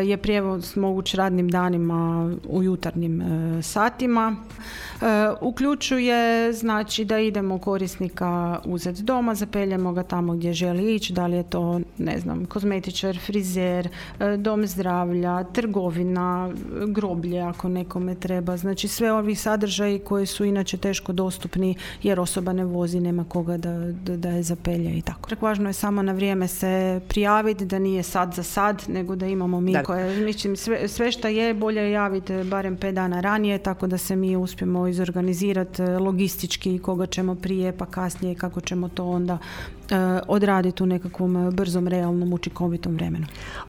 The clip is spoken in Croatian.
je prijevoz moguć radnim danima u jutarnjim satima. Uključuje znači da idemo korisnika uzeti doma, zapeljemo ga tamo gdje želi ići, da li je to, ne znam, kozmetičar, frizer, dom zdravlja, trgovina, groblje ako nekome treba. Znači sve ovi sadržaji koji su inače teško dostupni jer osoba ne vozi, nema koga da je zapelje i tako. Važno je samo na vrijeme se prijaviti, da nije sad za sad, nego da imamo mi koje, mislim, sve što je bolje javiti barem 5 dana ranije, tako da se mi uspijemo izorganizirati logistički koga ćemo prije pa kasnije, kako ćemo to onda odraditi u nekakvom brzom, realnom, učinkovitom vremenu.